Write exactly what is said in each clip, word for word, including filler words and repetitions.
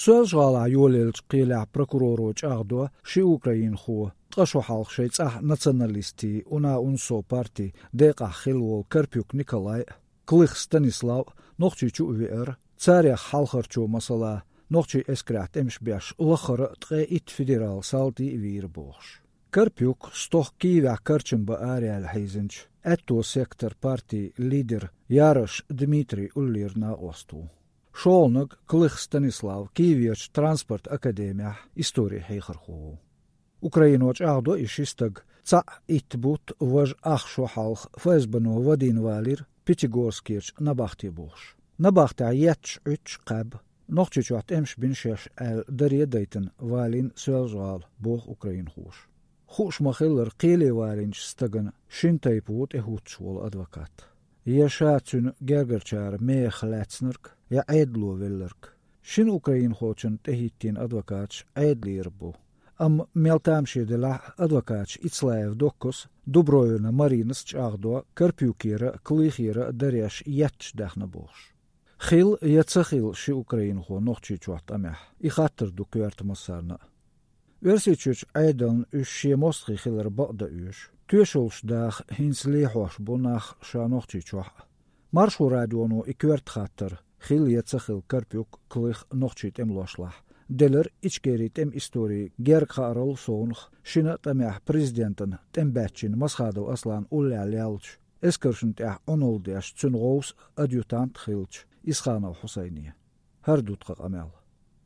Соьлжа-ГӀалахь йолаеллачу кхелехь прокуроро чӀагӀдо ши украинхо, ткъа шо хьалха шайн цӀахь националистийн УНА-УНСО партин декъахь хилла волу Карпюк Николай а, Клых Станислав а Нохчийчу а веара, царех хьалхарчо, масала, нохчийн эскарехь тӀемаш беш лаххара а ткъе итт федералан салтий а вийра бохуш. Карпюк стохка Киевехь карчам бан араяьлла хьийзинчу «Аьтто сектор» партин лидер Ярош Дмитрий уллера накъост ву. ШолгӀаниг Клых Станислав Киеверчу транспорт академехь историн хьехархо ву. Украино чӀагӀдо и ши стаг цхьаъ итт бутт, важа ах шо хьалха ФСБ-но вадийна валийра Пятигорскерчу набахте бохуш. Набахтехь етташ Ӏуьттуш кхаьбна, Нохчийчохь тӀемаш бина шаьш аьлла даре а дайтина валийна Соьлжа-ГӀала, боху украинхоша. Хууш ма-хиллара, кхеле валийначу стагана шина тайпа ву тӀехӀуттуш волу адвокат. Я ша цуьнан гергарчара мехах лаьцнарг, я Ӏедало велларг. Шина украинхочунна тӀехӀиттийна адвокаташ Ӏедалера бу. Амма мел тамаше делахь а, адвокаташ Ицлаев Доккас а, Дубровина Маринас а чӀагӀдо Карпюкера а, Клыхера а дареш етташ даьхна бохуш. Хилла я ца хилла ши украинхо Нохчийчохь тӀамехь, и хаттар ду коьрта массарна а. Оьрсийчуьрчу Ӏедална уьш шен мостагӀий хилар бакъдан оьшу. Тоьшаллаш даха хӀинца лехьош бу нах ша Нохчийчохь а. Маршо радионо и коьрта хаттар, хилла я ца хилла Карпюк, Клых нохчийн тӀемалошлахь, делира Ичкерин тӀеман историн герга хааралла совнаха, шина а тӀамехь президентана тӀемабаьччина Масхадов Аслан уллехь леллачу, эскаршна тӀехь Ӏуналла деш, цуьнан гӀовса адъютант а хиллачу Исханов Хьусайне. ХӀара ду тхан къамел.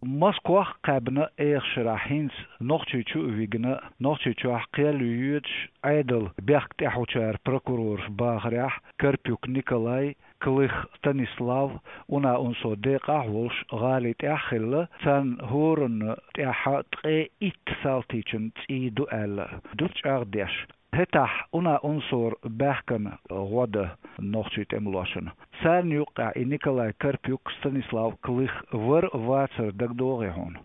Москвахь а кхаьбна, эха шарахь хӀинца Нохчийчу а вигна, Нохчийчохь кхел йоьдуш, Ӏедалан бехк тӀехьучара прокурорша бахарехь, Карпюк Николай, Клых Станислав, УНА-УНСО декъахь а волуш, гӀали тӀехь а хилла, царна хӀоранна тӀехь ткъе итт салтичун цӀий ду аьлла, ду чӀагӀдеш. ХӀетахь УНА-УНСО-ра баьхкина гӀо дан нохчийн тӀемалошна. Царна юккъехь и Николай Карпюк, Станислав Клых вар а, вацар а дагадогӀий хьуна?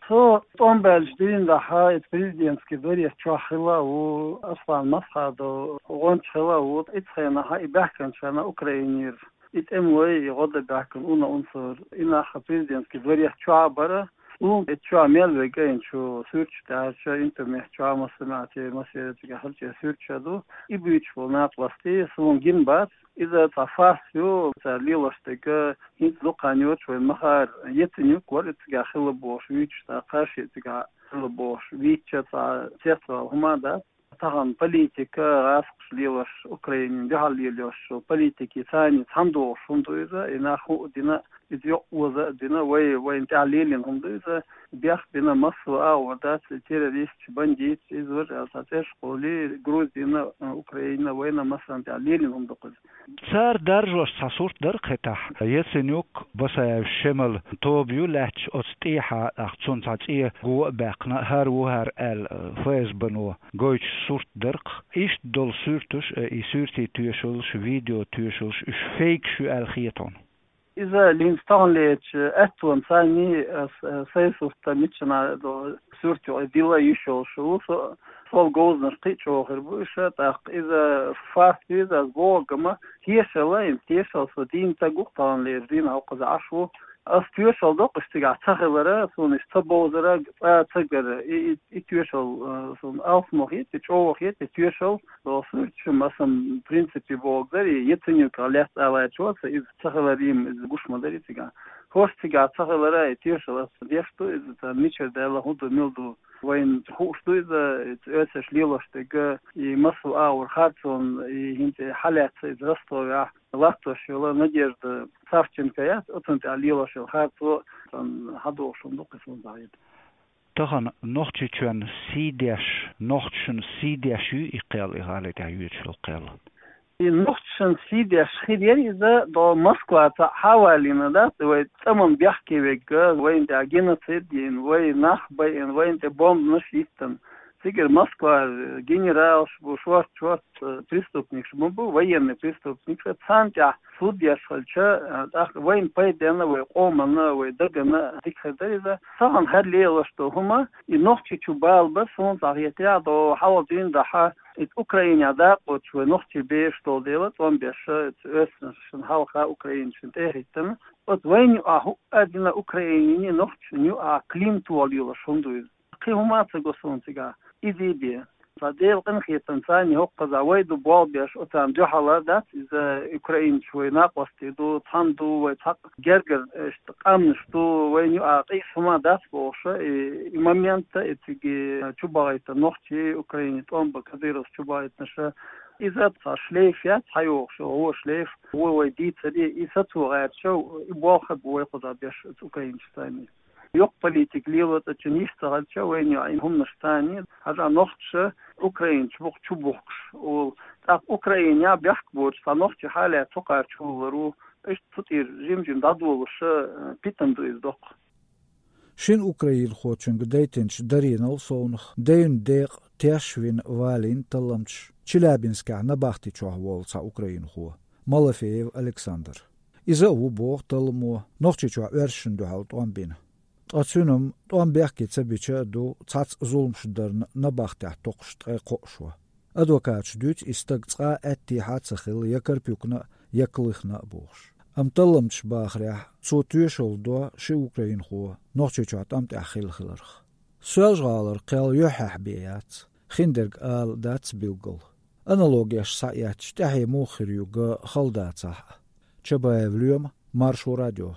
Со тӀом баьлча дийнахь, и президентский дворец чохь хилла а ву Аслан Масхадов, гӀонча хилла а ву, и цхьанахь и баьхкинчарна Украинера. И тӀемалой, и гӀо дан баьхкина УНА-УНСО-ра. И нах президентский дворец чохь а бара. Суна и чохь мел верг а, и чу суьрташ даьхьча, интернет чохь массамехь, массеран цигахь хилча суьрташ а ду. И буьйцуш болу накъостий суна гина бац. Иза цхьа фарс ю, цара лелош дерг, хӀинца дукха хан йоцуш вайн махара Яценюк вара и цигахь хилла бохуш вуьйцуш, цхьа кхаш а цигахь хилла бохуш вуьйцуш, цхьа цецвала хӀума дац. Тахана политика, гӀазкхаша лелош, Украинина дуьхьал лелош йолу политикин царна цхьаьна догӀуш хӀума ду иза, и нах хӀуъа дина, иза йоккха оза а дина, вай, вайна тӀехь лелийна хӀума ду иза, бехк бина массо а агӀор дац, и террористаш, бандиташ, иза важа аьлла цхьа цӀераш кхоллий, Грузина, Украина, вайна массарна тӀехь лелийна хӀума ду-кх иза. Цара даржош цхьа сурт дара-кх хӀетахь. Яценюк, Басаев Шемал тоба ю лаьтташ оцу тӀехьа, тӀаккха цунна цхьа цӀе го а баьккхина, хӀара ву хӀара аьлла, ФСБ-но гойтуш сурт дара-кх. Иштта долу суьрташ а, и суьртийн тоьшаллаш, видео тоьшаллаш, уьш фейкаш ю аьлла хета хьуна? Иза линца таханлерчу аьттонца санний, ас, сайн сурт миччана до суьртехь дилла йиш йолуш ву со, сол говзанаш кхин а чӀогӀа хир бу уьш, тӀаккха иза фарс ю иза, ас боху, амма тешалла, и тешалла со дийна стаг ву-кх таханлерчу дийнахь, хӀокхуза Ӏаш ву. Ас тоьшалла до-кх уьш цигахь ца хилара, суна уьш ца бовзара, цкъа ца гара. И, и, и тоьшалла, э, суна алсамо хета, и чӀогӀа хета, и тоьшалла. Со суьрташ масам принципе боху дара, и Яценюках лаьцна алачо аса иза ца хилар, и иза гуш ма дара и цигахь. ХӀорш цигахь ца хилара, и тоьшалла ас деш ду, иза царна мичара даьлла, хӀун ду, мила ду. Вайна хууш ду иза, иза оьрсаша лелош дерг, и массо а агӀор харцонан, и хӀинца хьалаьцна иза Ростовехь, латтош йолу Надежда Савченко яц, оцунна тӀехь лелош йолу харцо, царна хьадогӀуш хӀума ду-кх иза, хӀунда хьайда. Тахана Нохчийчоьнан сий деш, нохчашна сий деш юй и кхел, и гӀали тӀехь йоьдуш йолу кхел? И нохчашна сий деш хир яра иза, до Москваца хьа а валийна дац, вай цӀа ма бехке верг, вайна тӀехь геноцид йина, вай нах байина, вайна тӀе бомбанаш йиттина. Цигара Москва генералаш бу, шорт-шорт, э, преступникаш ма бу, военный преступникаш, царна тӀехь суд еш хилча, э, тӀаккха вайна пайденна, вай къоманна, вай дагана дика хир дара иза. Сагана хӀара лелаш ду хӀума, и нохчи чу бала бар, суна цхьа хетаяхь, до хьалха дийна дахьа, и Украине дакъоч вай нохчи беш долу дела, цӀом беш, оьссина шина хьалха Украина шина тӀе а хӀиттина. Оцу вайна юкъахь хӀуъа а дина Украине нохчашна юкъахь клин тола йолуш хӀума ду иза. Кхин хӀума а ца го суна цигахь. Иза бен. Сан Делан къинхетамца, царна хӀокхузахь вай ду болх беш, оцарна дуьхьал дац, иза украинцаш вай накъостий ду, цхьаьна ду, вай цхьаъ гергара, иштта, къаьмнаш ду, вайна юкъахь къийса хӀума дац бохуш, и, и момент, и цига чубахийта нохчий, Украине тӀом бан кадыровцаш чубахийтинарш, иза цхьа шлейф яц хьайогӀуш, вон шлейф, вон вай дийцаре, и сацо гӀерташ, и болх бу вай кхузахь беш оцу украинцашца. Йоккха политика лело цӀа чу йиш ца хилча, вайна юкъахь хӀуманаш царна, хьажа нохчаша украинцаш бухку чу бухкуш, олу. ТӀаккха Украинехь бехк боцуш цхьа нохчи хьалаьцна цу кхара чу валар ву, иштта цу тӀера жим-жим дӀадолуш, э, питана ду иза доккха. Шина украинхочуьнга дайтинчу даринал совнаха, дайна декъа теш вина валийна талламчаш Челябинскехь набахти чохь волу цхьа украинхо, Малафеев Александр. Иза а ву, боху талламо, Нохчийчохь оьрсашна дуьхьал тӀом бина. Ткъа цуьнан тӀом бехке ца бича а ду цхьацца зуламаш дарна набахтехь токхуш ткъе кхоъ шо. Адвокаташа дуьйцу и стаг цкъа а аьттехьа а ца хилла я Карпюкна а, я Клыхна а бохуш. Амма талламчаша бахарехь, цо тоьшалла до ши украинхо Нохчийчохь тӀом тӀехь хилла хиларх. Соьлжа-ГӀалара кхел юьххьехь бен яц, хиндерг ала дац билггал. Аналогеш схьаэцча, тӀаьхье муха хир ю ган хала дацахь а. Чабаев Лоьма, Маршо радио.